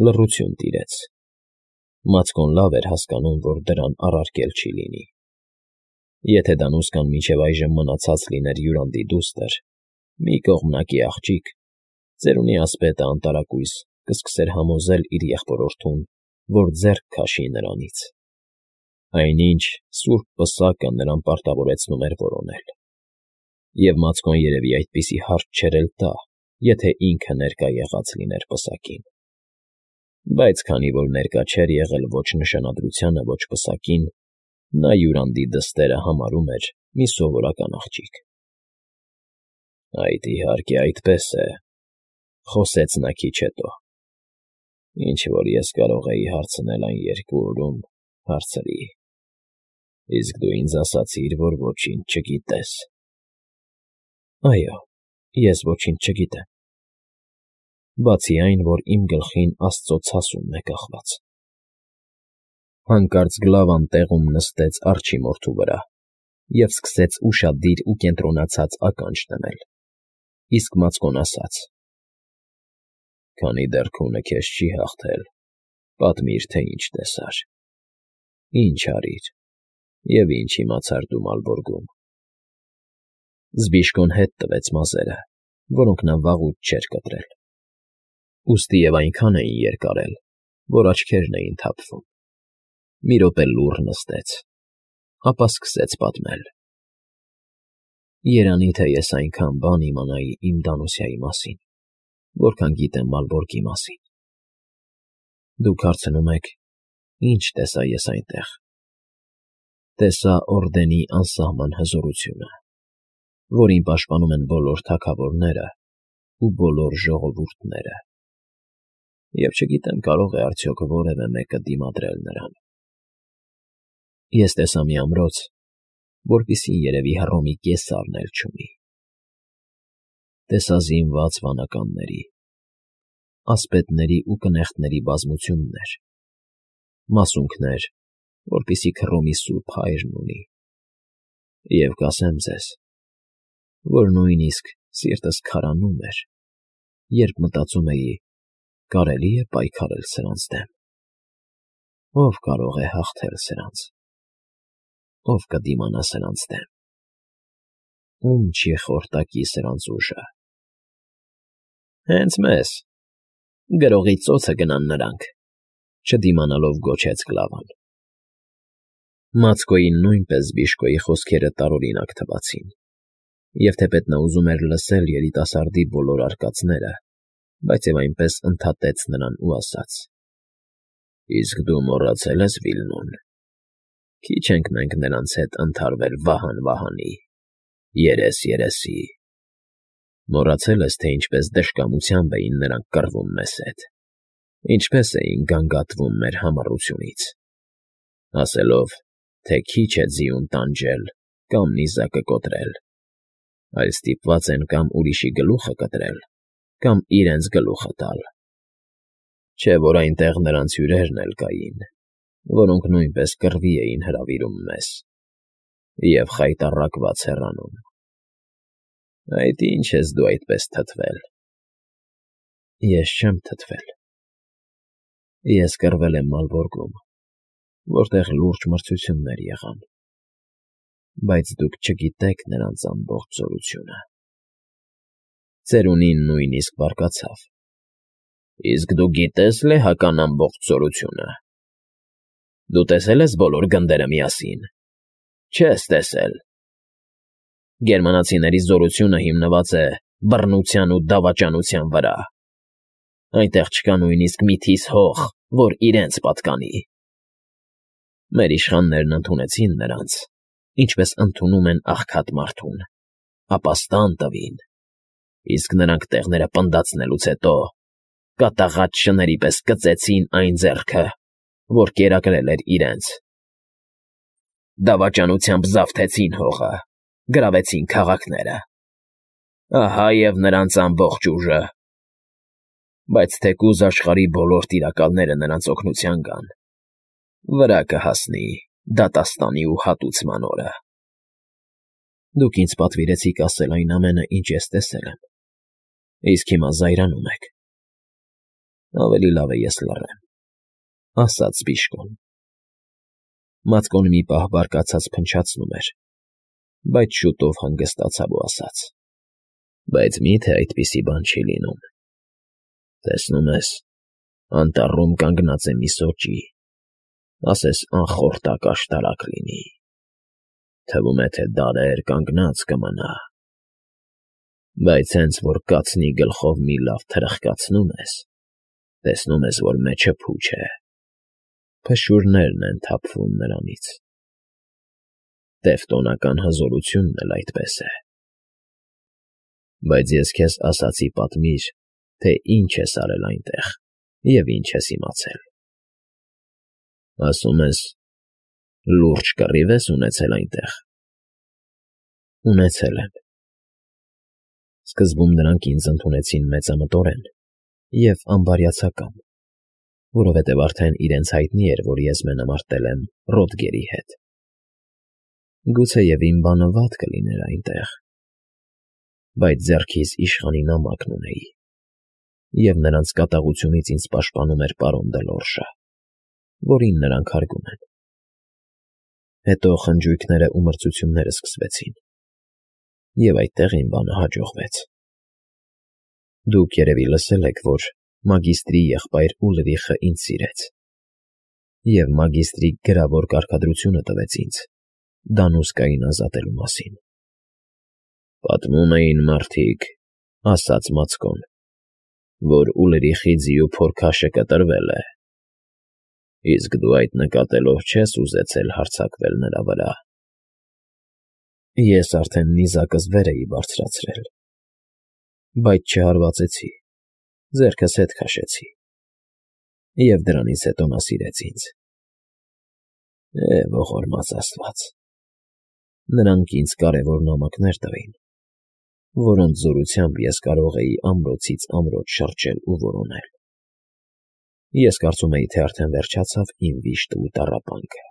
Լռություն տիրեց։ Մացկոն լավ էր հասկանում, որ դրան առարկել չի լինի։ Եթե Դանուսկան մինչև այժմ մնացած լիներ յուրանդի դուստր, մի կողմնակի աղջիկ, ծերունի ասպետը անտարակույս կսկսեր համոզել իր եղբորորդուն, որ ձեռք քաշի նրանից։ Այնինչ սուրբ պսակը նրան պարտավորեցնում էր որոնել։ Եվ Մացկոն երևի այդպիսի հարց չէր էլ տա, եթե ինքը ներկա եղած լիներ պսակին։ Բայց քանի որ ներկա չէր եղել ոչ նշանադրությանը, ոչ պսակին, նա յուրանդի դստերը համարում էր մի սովորական աղջիկ։ Այդ իհարկե այդպես է, խոսեց նա քիչ հետո։ Ինչ որ ես կարող էի հարցնել այն 2 օրում, հարցրի։ Իսկ դու ինձ ասացիր, որ ոչինչ չգիտես։ Այո, ես ոչինչ չգիտեմ։ Բացի այն, որ իմ գլխին Աստծո ցասումն է կախված։ Հանկարծ Գլավան տեղում նստեց արջի մորթու վրա և սկսեց ուշադիր ու կենտրոնացած ականջ դնել, իսկ Մացկոն ասաց. Քանի դեռ քունը քեզ չի հաղթել, պատմիր, թե ինչ տեսար, ինչ արիր և ինչ իմացար դու Մալբորգում։ Զբիշկոն հետ տվեց մազերը, որոնք նա վաղուց չէր կտրել։ Ուստի և այնքան էին երկարել, որ աչքերն էին թափվում։ Մի րոպե լուռ նստեց, ապա սկսեց պատմել. Երանի թե ես այնքան բան իմանայի իմ Դանուսիայի մասին, որքան գիտեմ Մալբորգի մասին։ Դուք հարցնում եք, ինչ տեսա ես այնտեղ։ Տեսա Օրդենի անսահման հզորությունը, որին պաշտպանում են բոլոր թագավորները ու բոլոր ժողովուրդները։ Եվ չգիտեմ կարող է արդյոք որևէ մեկը դիմադրել նրան։ Ես տեսա մի ամրոց, որպիսին երևի Հռոմի կեսարն էլ չունի։ Տեսա զինված վանականների, ասպետների ու կնեղտների բազմություններ, մասունքներ, որպիսի Հռոմի Սուրբ Հայրն ունի։ Եվ կասեմ ձեզ, որ նույնիսկ սիրտս քարանում էր, երբ մտածում էի, կարելի է պայքարել սրանց դեմ։ Ո՞վ կարող է հաղթել սրանց։ Ո՞վ կդիմանա սրանց դեմ։ Ո՞ւմ չի խորտակի սրանց ուժը։ Հենց մեզ, գրողի ծոցը գնան նրանք, չդիմանալով գոչեց Գլավան։ Մացկոյին նույնպես Զբիշկոյի խոսքերը տարօրինակ թվացին, և թեպետ նա ուզում էր լսել երիտասարդի բոլոր արկածները, բայց և այնպես ընդհատեց նրան ու ասաց. Իսկ դու մոռացել ես Վիլնուն։ Քիչ ենք մենք նրանց հետ ընդհարվել վահան֊վահանի, երես֊երեսի։ Մոռացել ես, թե ինչպես դժկամությամբ էին նրանք կռվում մեզ հետ, ինչպես էին գանգատվում մեր համառությունից, ասելով, թե քիչ է ձիուն տանջել կամ նիզակը կոտրել, այլ ստիպված են կամ ուրիշի գլուխը կտրել, կամ իրենց գլուխը տալ։ Չէ՞ որ այնտեղ նրանց հյուրերն էլ կային, որոնք նույնպես կռվի էին հրավիրում մեզ և խայտառակված հեռանում։ Այդ ի՞նչ ես դու այդպես թթվել։ Ես չեմ թթվել։ Ես կռվել եմ Մալբորգում, որտեղ լուրջ մրցություններ եղան, բայց դուք չգիտեք նրանց ամբողջ զորությունը։ Ծերունին նույնիսկ բարկացավ։ Իսկ դու գիտե՞ս լեհական ամբողջ զորությունը։ Դու տեսել ես բոլոր գնդերը միասին։ Չես տեսել։ Գերմանացիների զորությունը հիմնված է բռնության ու դավաճանության վրա։ Այնտեղ չկա նույնիսկ մի թիս հող, որ իրենց պատկանի։ Մեր իշխաններն ընդունեցին նրանց, ինչպես ընդունում են աղքատ մարդուն, ապաստան տվին, իսկ նրանք տեղները պնդացնելուց հետո կատաղած շների պես կծեցին այն ձեռքը, որ կերակրել էր իրենց։ Դավաճանությամբ զավթեցին հողը, գրավեցին քաղաքները։ Ահա և նրանց ամբողջ ուժը։ Բայց թեկուզ աշխարհի բոլոր տիրակալները նրանց օգնության գան, վրա կհասնի դատաստանի ու հատուցման օրը։ Դուք ինձ պատվիրեցիք ասել այն ամենը, ինչ ես տեսել եմ, իսկ հիմա զայրանում եք։ Ավելի լավ է ես լռեմ, ասաց Բիժկոն։ Մատկոն մի պահ բարկացած փնչացնում էր, բայց շուտով հանգստացավ ու ասաց. Բայց մի՞թե այդպիսի բան չի լինում։ Տեսնում ես, անտառում կանգնած է մի սոճի, ասես անխորտակ աշտարակ լինի, թվում է, թե դարեր կանգնած կմնա, բայց հենց որ կացնի գլխով մի լավ թրխկացնում ես, տեսնում ես, որ մեջը փուչ է, փշուրներն են թափվում նրանից։ Տևտոնական հզորությունն էլ այդպես է։ Բայց ես քեզ ասացի պատմիր, թե ինչ ես արել այնտեղ և ինչ ես իմացել։ Ասում ես, լուրջ կռիվ ես ունեցել այնտեղ։ Ունեցել եմ։ Սկզբում նրանք ինձ ընդունեցին մեծամտորեն և անբարյացակամ, որովհետև արդեն իրենց հայտնի էր, որ ես մենամարտել եմ Ռոդգերի հետ։ Գուցեև իմ բանը վատ կլիներ այնտեղ, բայց ձեռքիս իշխանի նամակն ունեի, և նրանց կատաղությունից ինձ պաշտպանում էր պարոն Դելորժը, որին նրանք հարգում են։ Հետո խնջույքները ու մրցությունները սկսվեցին, և այդտեղ իմ բանը հաջողվեց։ Դուք երևի լսել եք, որ մագիստրի եղբայր Ուլրիխը ինձ սիրեց, և մագիստրի գրավոր կարգադրությունը տվեց ինձ Դանուսկային ազատելու մասին։ Պատմում էին մարդիկ, ասաց Մացկոն, որ Ուլրիխի ձիու փորքաշը կտրվել է, իսկ դու այդ նկատելով չես ուզեցել հարձակվել նրա վրա։ Ես արդեն նիզակս վեր էի բարձրացրել, բայց չհարվածեցի, ձեռքս հետ քաշեցի, և դրանից հետո նա սիրեց ինձ։ Ողորմած աստված, նրանք ինձ կարևոր նամակներ տվին, որոնց զորությամբ ես կարող էի ամրոցից ամրոց շրջել ու որոնել։ Ես կարծում էի, թե արդեն վերջացավ իմ վիշտը ու տառապանքը,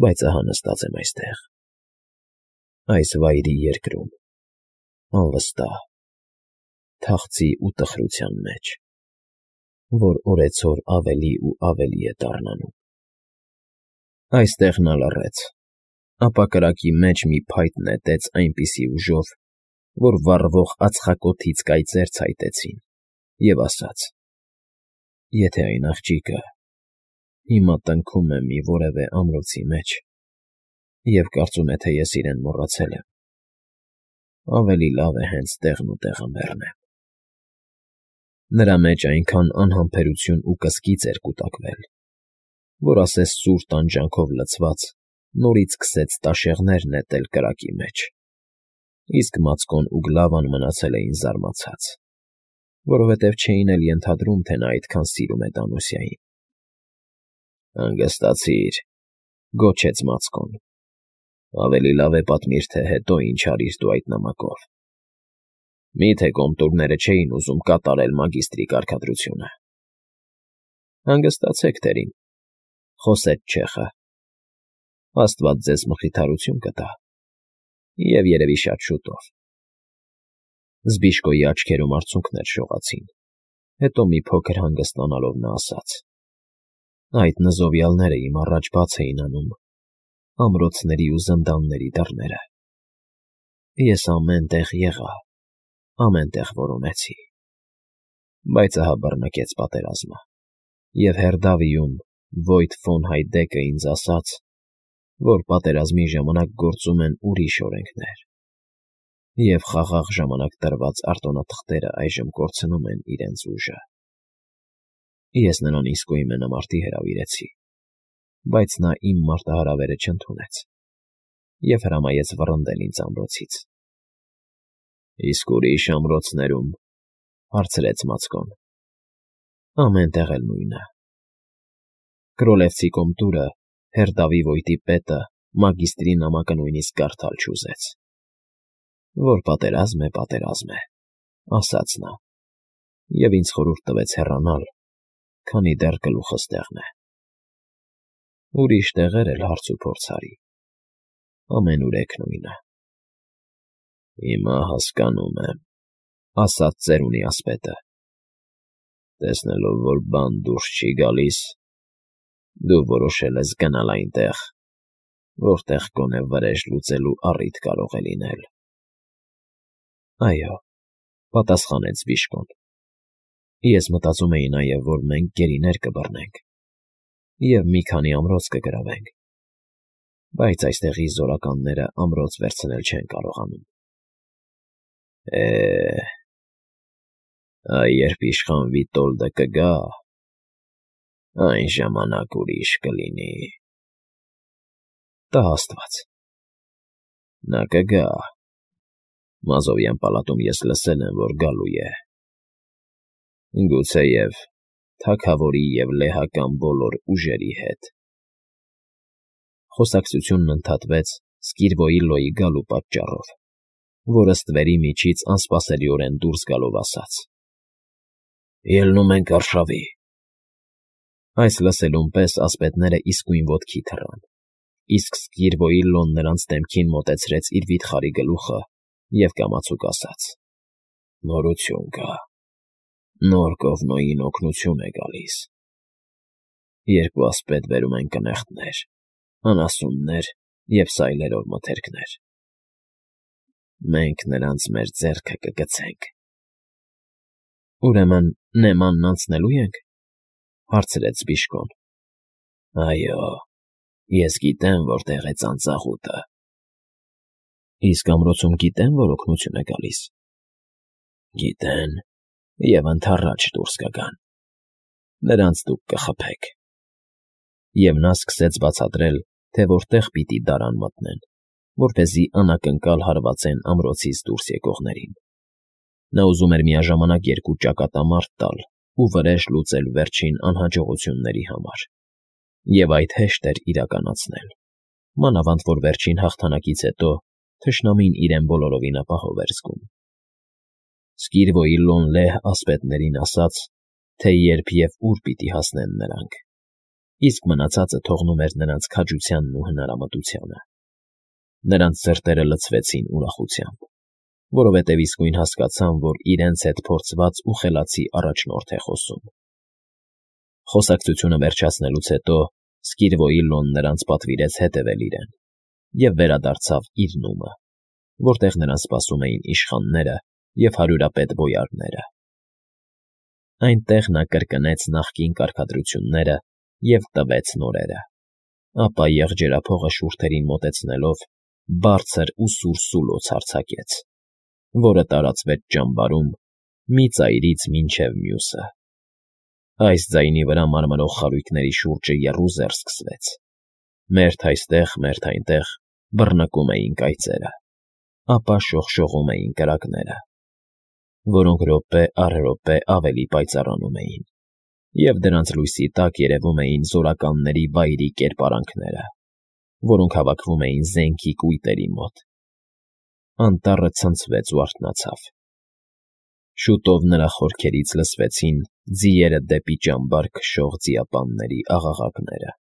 բայց ահա նստած եմ այստեղ, այս վայրի երկրում, անվստահ, թախծի ու տխրության մեջ, որ օրեցօր ավելի ու ավելի է դառնանում։ Այստեղ նա լռեց, ապա կրակի մեջ մի փայտ նետեց այնպիսի ուժով, որ վառվող ածխակոթից կայծեր ցայտեցին, և ասաց. Եթե այն աղջիկը հիմա տնքում է մի որևէ ամրոցի մեջ և կարծում է, թե ես իրեն մոռացել եմ, ավելի լավ է հենց տեղն ու տեղը մեռնեմ։ Նրա մեջ այնքան անհամբերություն ու կսկիծ էր կուտակվել, որ ասես սուր տանջանքով լցված նորից սկսեց տաշեղներ նետել կրակի մեջ, իսկ Մացկոն ու Գլավան մնացել էին զարմացած, որովհետև չէին էլ ենթադրում, թե նա այդքան սիրում է Դանուսիային։ Հանգստացիր, գոչեց Մացկոն, ավելի լավ է պատմիր, թե հետո ինչ արիր դու այդ նամակով։ Մի՞թե կոմտուրները չէին ուզում կատարել մագիստրի կարգադրությունը։ Հանգստացեք, տերին, խոսեց չեխը, աստված ձեզ մխիթարություն կտա, և երևի շատ շուտով։ Զբիժկոյի աչքերում արցունքներ շողացին, հետո մի փոքր հանգստանալով նա ասաց. Այդ նզովյալները իմ առաջ բաց էին անում ամրոցների ու զնդանների դռները։ Ես ամեն տեղ եղա, ամեն տեղ որոնեցի, բայց ահա բռնկեց պատերազմը, և Հերդավիում Վոյդ ֆոն Հայդեկը ինձ ասաց, որ պատերազմի ժամանակ գործում են ուրիշ օրենքներ, և խաղաղ ժամանակ տրված արտոնաթղթերը այժմ կորցնում են իրենց ուժը։ Ես նրան իսկույն մենամարտի հրավիրեցի, բայց նա իմ մարտահրավերը չընդունեց և հրամայեց վռնդել ինձ ամրոցից։ Իսկ ուրիշ ամրոցներում, հարցրեց Մացկոն։ Ամեն տեղ էլ նույնը։ Կրոլևցի կոմտուրը, Հերդավի Վոյտի պետը մագիստրի նամակը նույնիսկ կարդալ չուզեց։ Որ պատերազմ է, ասաց նա, և ինձ խորհուրդ տվեց հեռանալ, քանի դեռ գլուխս տեղն է։ Ուրիշ տեղեր էլ հարց ու փորձ արի, ամենուրեք նույնը։ Հիմա հասկանում եմ, ասաց ծերունի ասպետը։ Տեսնելով, որ բան դուրս չի գալիս, դու որոշել ես գնալ այնտեղ, որտեղ գոնե վրեժ լուծելու առիթ կարող է լինել։ ֊ Այո,֊ պատասխանեց Բիժկոն։ Ես մտածում էի նաև, որ մենք գերիներ կբռնենք և մի քանի ամրոց կգրավենք, բայց այստեղի զորականները ամրոց վերցնել չեն կարողանում։ ֊ Երբ իշխան Վիտոլդը կգա, այն ժամանակ ուրիշ կլինի։ ֊ Տա աստված։ ֊ Նա կգա։ Մազովյան պալատում ես լսել եմ, որ գալու է։ Գուցեև թագավորի և լեհական բոլոր ուժերի հետ… Խոսակցությունն ընդհատվեց Սկիրվոիլլոյի գալու պատճառով, որը ստվերի միջից անսպասելիորեն դուրս գալով ասաց. «Ելնում ենք արշավի»։ Այս լսելուն պես ասպետները իսկույն ոտքի թռան, իսկ Սկիրվոիլլոն նրանց դեմքին մոտեցրեց իր վիթխարի գլուխը և կամացուկ ասաց. «Նորություն կա, նոր Կողմնոյին օգնություն է գալիս։ Երկու ասպետ բերում են կնեղտներ, անասուններ և սայլերով մթերքներ։ Մենք նրանց մեր ձեռքը կգցենք»։ ֊ Ուրեմն Նեմանն անցնելո՞ւ ենք,֊ հարցրեց Բիժկոն։ ֊ Այո, ես գիտեմ որտեղ է ծանծաղուտը։ ֊ Իսկ ամրոցում գիտե՞ն, որ օգնություն է գալիս։ ֊ Գիտեն և ընդառաջ դուրս կգան։ Նրանց դուք կխփեք։ Եվ նա սկսեց բացատրել, թե որտեղ պիտի դարան մտնեն, որպեսզի անակնկալ հարվածեն ամրոցից դուրս եկողներին։ Նա ուզում էր միաժամանակ երկու ճակատամարտ տալ ու վրեժ լուծել վերջին անհաջողությունների համար, և այդ հեշտ էր իրականացնել, մանավանդ որ վերջին հաղթանակից հետո թշնամին իրեն բոլորովին ապահով էր զգում։ Սկիրվոիլլոն լեհ ասպետներին ասաց, թե երբ և ուր պիտի հասնեն նրանք, իսկ մնացածը թողնում էր նրանց քաջությանն ու հնարամտությանը։ Նրանց սրտերը լցվեցին ուրախությամբ, որովհետև իսկույն հասկացան, որ իրենց հետ փորձված ու խելացի առաջնորդ է խոսում։ Խոսակցությունը վերջացնելուց հետո Սկիրվոիլլոն նրանց պատվիրեց հետևել իրեն և վերադարձավ իր նումը, որտեղ նրան սպասում էին իշխանները և հարյուրապետ բոյարները։ Այնտեղ նա կրկնեց նախկին կարգադրությունները և տվեց նորերը, ապա եղջերափողը շուրթերին մոտեցնելով բարձր ու սուր սուլոց արձակեց, որը տարածվեց ճամբարում մի ծայրից մինչև մյուսը։ Այս ձայնի վրա մարմրող խարույկների շուրջը եռուզեռ սկսվեց, մերթ այստեղ, մերթ այնտեղ բռնկում էին կայծերը, ապա շողշողում էին կրակները, որոնք րոպե առ րոպե ավելի պայծառանում էին, և դրանց լույսի տակ երևում էին զորականների վայրի կերպարանքները, որոնք հավաքվում էին զենքի կույտերի մոտ։ Անտառը ցնցվեց ու արթնացավ։ Շուտով նրա խորքերից լսվեցին ձիերը դեպի ճամբար քշող ձիապանների աղաղակները։